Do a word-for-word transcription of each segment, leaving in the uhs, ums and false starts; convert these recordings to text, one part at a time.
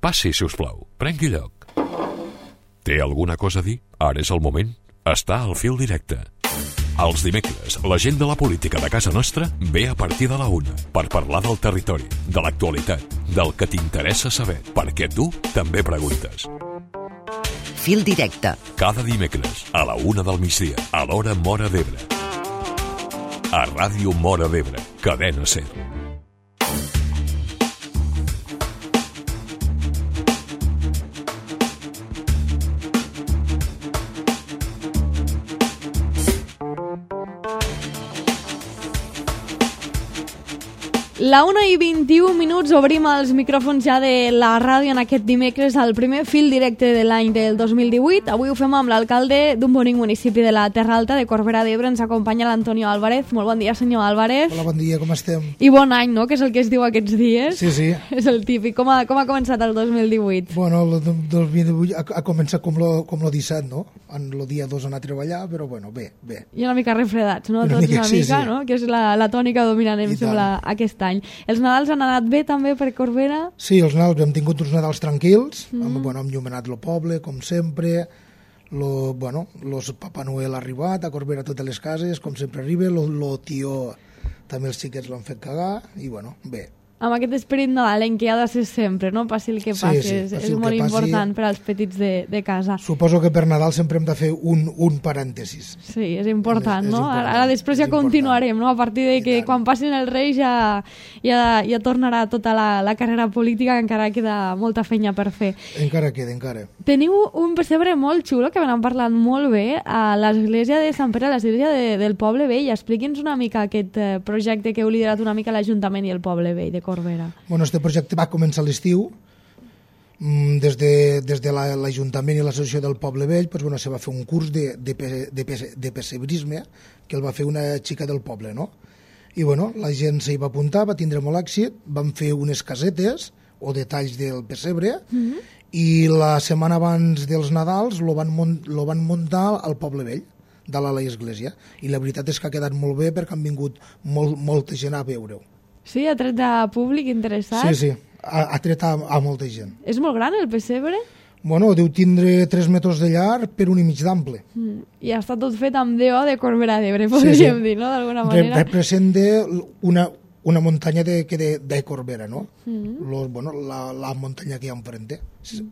Passi, si us plau. Prengui lloc. Té alguna cosa a dir? Ara és el moment. Està al fil directe. Els dimecres, la gent de la política de casa nostra ve a partir de la una per parlar del territori, de l'actualitat, del que t'interessa saber, perquè tu també preguntes. Fil directe. Cada dimecres, a la una del migdia, a l'hora Móra d'Ebre. A Ràdio Móra d'Ebre, Cadena SER. La una i vint-i-un minuts, obrim els micròfons ja de la ràdio en aquest dimecres, el primer fil directe de l'any del dos mil divuit. Avui ho fem amb l'alcalde d'un bonic municipi de la Terra Alta, de Corbera d'Ebre. Ens acompanya l'Antonio Álvarez. Molt bon dia, senyor Álvarez. Hola, bon dia, com estem? I bon any, no?, que és el que es diu aquests dies. Sí, sí. És el típic. Com ha, com ha començat el dos mil divuit? Bueno, el dos mil divuit ha, ha començat com lo, com lo disset, no? En el dia dos anar a treballar, però bueno, bé, bé. I una mica refredats, no? Una Tots mica, una sí, mica, sí. no? Que és la, la tònica dominant, em I sembla, tant. aquest any. Els Nadals han anat bé també per Corbera? Sí, els Nadals hem tingut uns Nadals tranquils, Mm. amb, bueno, hem llumenat el poble, com sempre, lo, bueno, los Papa Noel ha arribat a Corbera a totes les cases, com sempre arriba, lo, lo tio també els xiquets l'han fet cagar, i bueno, bé. Amb aquest esperit nadalenc que ha de ser sempre, no? Passi el que Sí, passi, sí, és, passi és el molt que passi. important per als petits de, de casa. Suposo que per Nadal sempre hem de fer un, un parèntesis. Sí, és important, És- és no? important, Ara, ara després ja és important. continuarem, no? A partir de I que tant. quan passin els Reis ja, ja, ja tornarà tota la, la carrera política, que encara queda molta feina per fer. Encara queda, encara. Teniu un pessebre molt xulo, que me n'han parlat molt bé, a l'església de Sant Pere, a l'església de, del Poble Vell. Expliqui'ns una mica aquest eh, projecte que heu liderat una mica l'Ajuntament i el Poble Vell de Corbera. Bueno, este projecte va començar a l'estiu. Mm, Des de, des de la- l'Ajuntament i l'Associació del Poble Vell pues, bueno, se va fer un curs de, de, pe- de, pe- de pessebrisme que el va fer una xica del poble, no? I bueno, la gent s'hi va apuntar, va tindre molt èxit, van fer unes casetes o detalls del pessebre Mhm. i la setmana abans dels Nadals lo van, mun- lo van muntar al Poble Vell de la l'església, i la veritat és que ha quedat molt bé perquè han vingut molt, molta gent a veure-ho. Sí, ha tret de públic interessat? Sí, sí, ha, ha tret a, a molta gent. És molt gran el pessebre? Bueno, deu tindre tres metres de llarg per un i mig d'ample. Mm. I està tot fet amb D O de Corbera d'Ebre, podríem Sí, sí. dir, no?, d'alguna Re, manera. representa una, una muntanya de, que de, de Corbera, no? Mm. Lo, bueno, la, la muntanya que hi ha enfrente. Sí,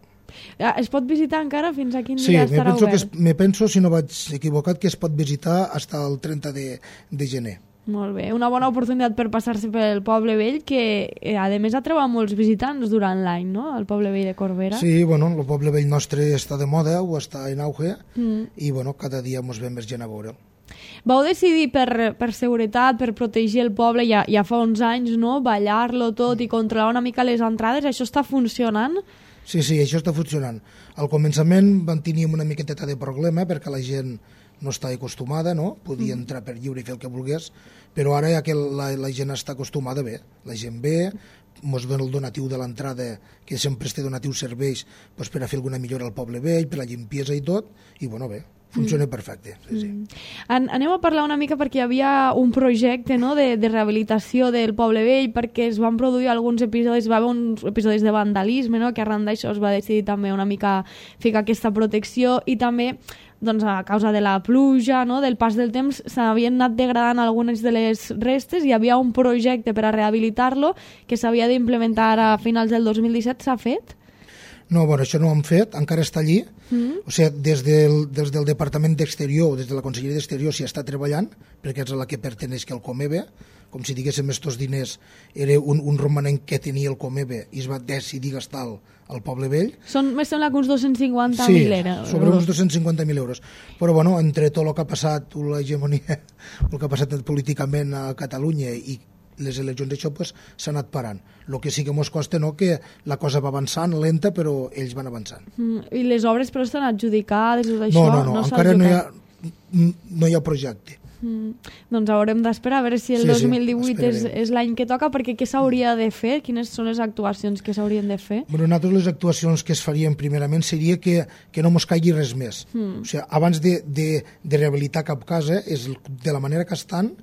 Ah, Es pot visitar encara? Fins a quin sí dia me estarà penso, que obert? es, me penso, si no vaig equivocat, que es pot visitar fins al trenta de, de gener. Molt bé, una bona oportunitat per passar-se pel Poble Vell, que eh, a més atreu a molts visitants durant l'any, no?, el Poble Vell de Corbera. Sí, bueno, el poble vell nostre està de moda, o està en auge, Mm. i bueno, cada dia mos ve més gent a veure'l. Vau decidir per, per seguretat, per protegir el poble, ja, ja fa uns anys, no?, ballar-lo tot i controlar una mica les entrades. Això està funcionant? Sí, sí, això està funcionant. Al començament van tenir una miqueteta de problema perquè la gent no està acostumada, no? Podia entrar per lliure i fer el que volgués, però ara ja que la, la gent està acostumada, bé. La gent ve, mos ven el donatiu de l'entrada, que sempre este donatiu serveix pues, per a fer alguna millora al poble vell, per la limpiesa i tot, i bueno, bé, funciona mm. perfecte. Sí, sí. An anem a parlar una mica perquè hi havia un projecte, no?, de, de rehabilitació del Poble Vell, perquè es van produir alguns episodis, va haver uns episodis de vandalisme, no?, que arran d'això es va decidir també una mica ficar aquesta protecció, i també doncs, a causa de la pluja, no?, del pas del temps, s'havien anat degradant algunes de les restes. Hi havia un projecte per a rehabilitar-lo que s'havia d'implementar a finals del dos mil disset. S'ha fet? No, bueno, això no ho han fet, encara està allí. Mm. O sigui, des del, des del Departament d'Exterior, des de la Conselleria d'Exterior s'hi està treballant, perquè és a la que perteneix que el Comebe, com si diguéssim estos diners era un, un romanent que tenia el Comebe i es va decidir gastar al, al Poble Vell. Són, me sembla que uns dos-cents cinquanta Sí, mil euros. sobre uns dos-cents cinquanta mil euros. Però bueno, entre tot el que ha passat, l'hegemonia, el que ha passat políticament a Catalunya i les eleccions, això pues, s'ha anat parant. El que sí que mos costa, no?, que la cosa va avançant, lenta, però ells van avançant. Mm. I les obres però estan adjudicades i tot això? No, no, no, s'ha encara no hi, ha, adjudicat? no hi ha projecte. Mm. Doncs haurem d'esperar a veure si el Sí, sí, dos mil divuit és, esperarem. és l'any que toca, perquè què s'hauria de fer? Quines són les actuacions que s'haurien de fer? Bueno, nosaltres les actuacions que es farien primerament seria que, que no mos caigui res més. Mm. O sigui, abans de, de, de rehabilitar cap casa, és de la manera que estan,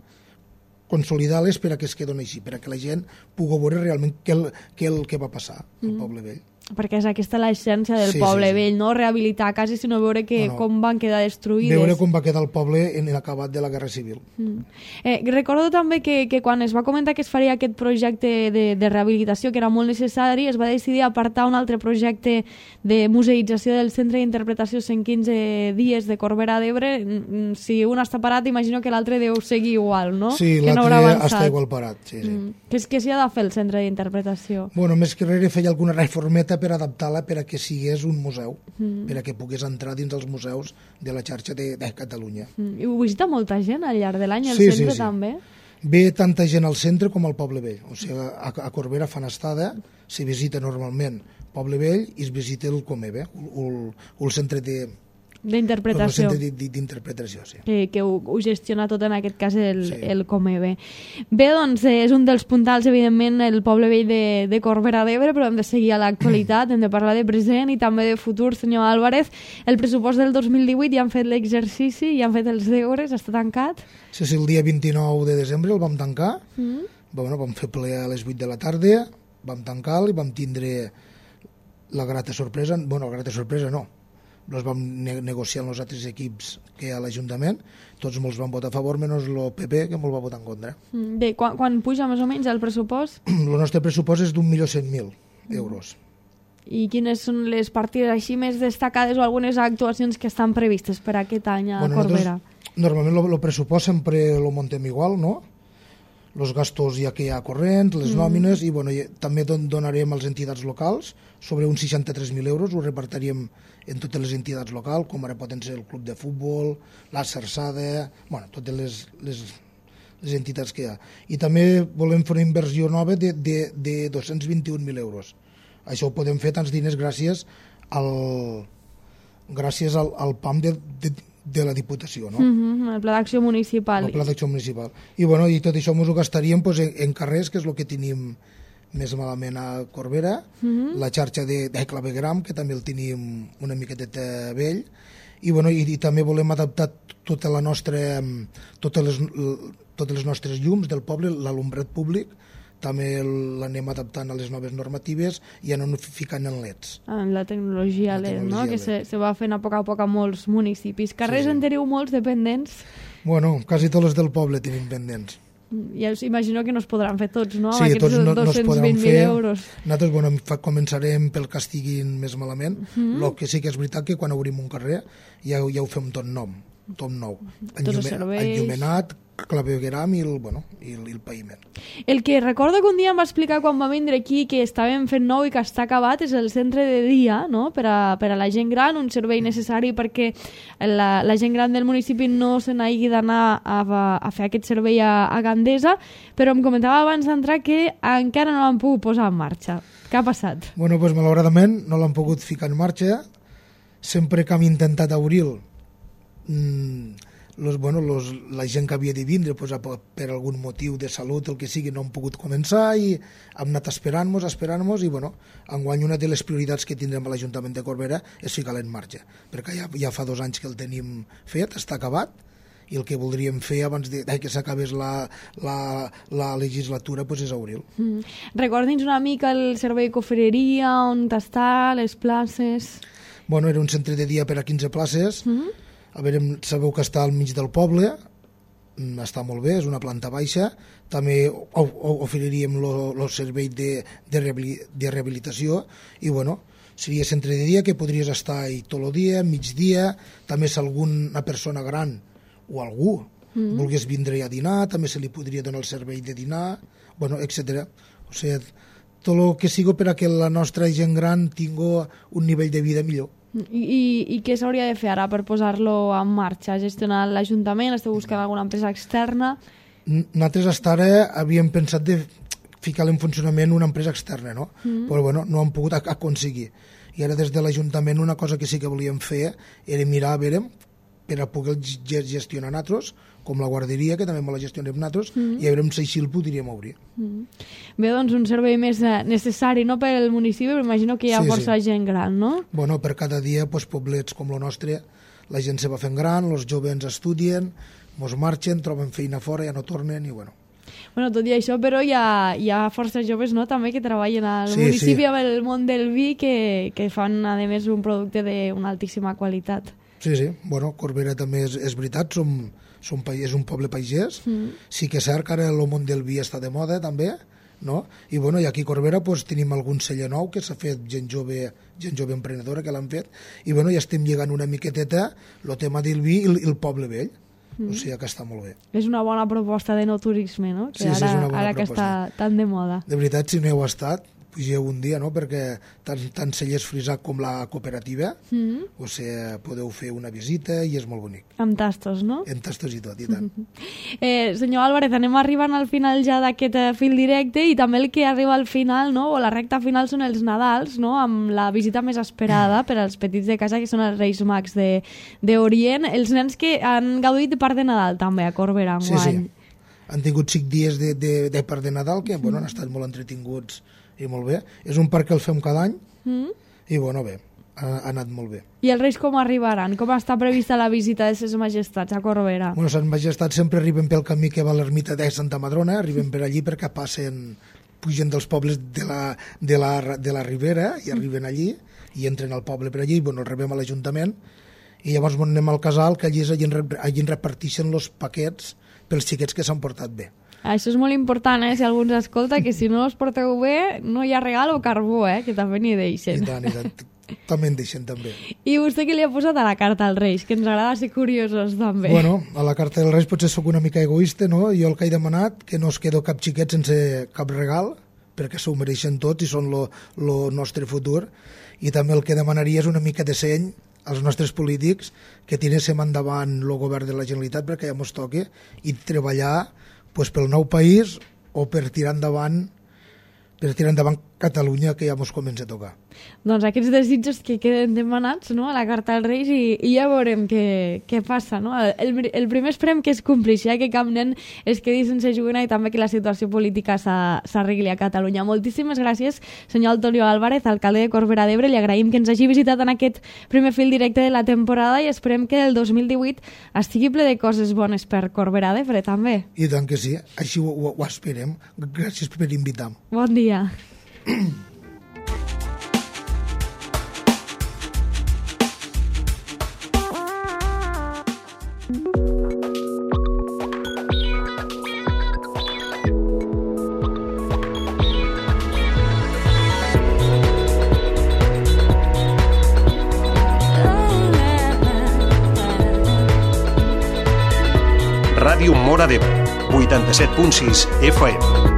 consolidar-les per a que es quedin així, per a que la gent pugui veure realment què el, què el que va passar al Mm. Poble Vell. perquè és aquesta l'essència del Sí, poble sí, sí. vell, no rehabilitar cases, sinó veure que No, no. com van quedar destruïdes. Veure com va quedar el poble en l'acabat de la Guerra Civil. Mm. Eh, recordo també que, que quan es va comentar que es faria aquest projecte de, de rehabilitació, que era molt necessari, es va decidir apartar un altre projecte de museïtzació del Centre d'Interpretació cent quinze dies de Corbera d'Ebre. Mm, Si un està parat, imagino que l'altre deu seguir igual, no? Sí, que no haurà l'altre avançat. està igual parat. Sí, sí. Mm. Què és que s'hi ha de fer el Centre d'Interpretació? Bueno, més que res feia alguna reformeta per adaptar-la per a que sigués un museu, mm. per a que pogués entrar dins els museus de la xarxa de, de Catalunya. Mm. I ho visita molta gent al llarg de l'any, al Sí, centre sí, sí. també? Ve tanta gent al centre com al Poble Vell. O sigui, a, a Corbera fan estada, s'hi visita normalment Poble Vell i es visita el Comebe, el, el centre de... D'interpretació. El centre d'interpretació, sí. Que, que ho, ho gestiona tot en aquest cas el, Sí. el Comebe. Bé, doncs eh, és un dels puntals, evidentment, el poble vell de, de Corbera d'Ebre, però hem de seguir a l'actualitat, hem de parlar de present i també de futur, senyor Álvarez. El pressupost del dos mil divuit ja han fet l'exercici, ja han fet els deures, està tancat? Sí, sí, el dia vint-i-nou de desembre el vam tancar, Mm. bueno, vam fer ple a les vuit de la tarda, vam tancar-lo i vam tindre la grata sorpresa, bueno, la grata sorpresa no, els vam ne negociar amb els altres equips que hi ha a l'Ajuntament, tots molts van votar a favor, menys el P P, que molt va votar en contra. Mm. Bé, quan, quan puja més o menys el pressupost? El nostre pressupost és d'un milió cent mil euros. I quines són les partides així més destacades o algunes actuacions que estan previstes per aquest any a Bueno, Corbera? nosaltres, normalment el pressupost sempre lo montem igual, no? Los gastos ja que hi ha corrents, les mm. nòmines, i bueno, i també don donarem a les entitats locals sobre uns seixanta-tres mil euros, ho repartiríem en totes les entitats locals, com ara poden ser el club de futbol, la Sarsada, bueno, totes les, les, les entitats que hi ha. I també volem fer una inversió nova de, de, de dos-cents vint-i-un mil euros. Això ho podem fer tants diners gràcies al, gràcies al, al P A M de, de, de la Diputació, no? Mm -hmm, el Pla d'Acció Municipal. El Pla d'Acció Municipal. I, bueno, i tot això ens ho gastaríem pues, en, en carrers, que és el que tenim més malament a Corbera, mm -hmm. la xarxa de, de clavegram, que també el tenim una miqueteta vell, i, bueno, i, i també volem adaptar tota la nostra, totes les, totes les nostres llums del poble, l'alumbrat públic, també l'anem adaptant a les noves normatives i anem ficant en leds. En la tecnologia La L E D, tecnologia no? Que L E D. se, se va fent a poc a poc a molts municipis. Carrers Sí, sí. en teniu molts dependents? Bueno, quasi tots els del poble tenim pendents. Ja us imagino que no es podran fer tots, no? Amb Sí, aquests tots no, no es dos-cents podran vint mil fer. euros. Nosaltres bueno, fa, començarem pel que estiguin més malament. El mm -hmm. que sí que és veritat que quan obrim un carrer ja, ja ho fem tot nom, tot nou. Tots els serveis. Enllumenat, clavegueram i el, bueno, i el, i el paviment. El que recordo que un dia em va explicar quan va vindre aquí que estàvem fent nou i que està acabat és el centre de dia, no? Per a, per a la gent gran, un servei necessari perquè la, la gent gran del municipi no se n'hagi d'anar a, a fer aquest servei a, a Gandesa, però em comentava abans d'entrar que encara no l'han pogut posar en marxa. Què ha passat? Bueno, pues, malauradament no l'han pogut ficar en marxa. Sempre que hem intentat obrir-lo, mmm, los, bueno, los, la gent que havia de vindre pues, per algun motiu de salut, el que sigui, no han pogut començar i hem anat esperant-nos, esperant-nos i bueno, enguany una de les prioritats que tindrem a l'Ajuntament de Corbera és ficar-la en marxa, perquè ja, ja fa dos anys que el tenim fet, està acabat, i el que voldríem fer abans de, de que s'acabés la, la, la legislatura pues, és obrir-lo. Mm. Recordi'ns una mica el servei cofreria, on està, les places... Bueno, era un centre de dia per a quinze places. Mm. A veure, sabeu que està al mig del poble, està molt bé, és una planta baixa. També oferiríem el servei de, de, de rehabilitació i, bueno, seria centre de dia que podries estar ahí tot el dia, migdia, també si alguna persona gran o algú mm. volgués vindre a dinar, també se li podria donar el servei de dinar, bueno, etcètera. O sigui, tot el que sigui per a que la nostra gent gran tingui un nivell de vida millor. I, i, i què s'hauria de fer ara per posar-lo en marxa? Gestionar l'Ajuntament? Esteu buscant alguna empresa externa? Nosaltres hasta ara havíem pensat de ficar en funcionament una empresa externa, no? Mm. Però bueno, no hem pogut aconseguir. I ara des de l'Ajuntament una cosa que sí que volíem fer era mirar a veure per a poder gestionar nosaltres, com la guarderia, que també me la gestionem nosaltres, mm. i a veure si així el podríem obrir. Mm. Bé, doncs un servei més necessari, no per al municipi, però imagino que hi ha sí, força sí. gent gran, no? Bueno, per cada dia, pues, poblets com el nostre, la gent se va fent gran, els joves estudien, mos marxen, troben feina fora, ja no tornen, i bueno... Bueno, tot i això, però hi ha, hi ha força joves, no?, també que treballen al Sí, municipi sí. amb el món del vi que, que fan, a més, un producte d'una altíssima qualitat. Sí, sí, bueno, Corbera també és, és veritat, som, som, pa- és un poble pagès, mm. sí que és cert que ara el món del vi està de moda també, no? I, bueno, i aquí a Corbera pues, tenim algun celler nou que s'ha fet gent jove, gent jove emprenedora que l'han fet, i bueno, ja estem lligant una miqueteta el tema del vi i el, i el poble vell, mm. o sigui que està molt bé. És una bona proposta de no turisme, no?, que Sí, sí, ara, és una bona ara que proposta. està tan de moda. De veritat, si no heu estat, pugeu un dia, no?, perquè tant, tant Cellers Frisac com la cooperativa, Mm. o sigui, podeu fer una visita i és molt bonic. Amb tastos, no? En tastos i tot, i tant. Eh, senyor Álvarez, anem arribant al final ja d'aquest eh, fil directe, i també el que arriba al final, no?, o la recta final, són els Nadals, no?, amb la visita més esperada per als petits de casa, que són els Reis Mags de, d'Orient, els nens que han gaudit de part de Nadal també a Corbera Sí, enguany. sí. Han tingut cinc dies de, de, de part de Nadal que bueno, han estat molt entretinguts i molt bé. És un parc que el fem cada any Mm? i bueno, bé, ha, ha anat molt bé. I els Reis com arribaran? Com està prevista la visita de ses majestats a Corbera? Bueno, Sant Majestat sempre arriben pel camí que va a l'ermita de Santa Madrona, arriben per allí perquè passen, pugen dels pobles de la, de la, de la Ribera i arriben allí i entren al poble per allí i bueno, el rebem a l'Ajuntament i llavors anem al casal que allí, és, allí, en rep- allí en reparteixen els paquets pels xiquets que s'han portat bé. Això és molt important, eh? Si algú ens escolta, que si no us porteu bé, no hi ha regal o carbó, eh? Que també n'hi I deixen. tant, i tant. També en deixen també. I vostè què li ha posat a la carta als Reis? Que ens agrada ser curiosos, també. Bueno, a la carta dels Reis potser sóc una mica egoista, no? Jo el que he demanat, que no es quedo cap xiquet sense cap regal, perquè s'ho mereixen tots i són lo, lo nostre futur. I també el que demanaria és una mica de seny als nostres polítics que tiréssim endavant el govern de la Generalitat perquè ja mos toque i treballar pues, pel nou país o per tirar endavant per tirar endavant Catalunya, que ja mos comença a tocar. Doncs aquests desitjos que queden demanats, no?, a la carta als Reis, i, i ja veurem què, què passa, no? El, el primer esperem que es complixi, eh? Que cap nen es quedi sense joguina i també que la situació política s'ha- s'arregli a Catalunya. Moltíssimes gràcies, senyor Antonio Álvarez, alcalde de Corbera d'Ebre. Li agraïm que ens hagi visitat en aquest primer fil directe de la temporada i esperem que el dos mil divuit estigui ple de coses bones per Corbera d'Ebre, també. I tant que sí, així ho, ho, ho esperem. Gràcies per invitar. Bon dia. Ràdio Móra d'Ebre, vuitanta-set punt sis F M.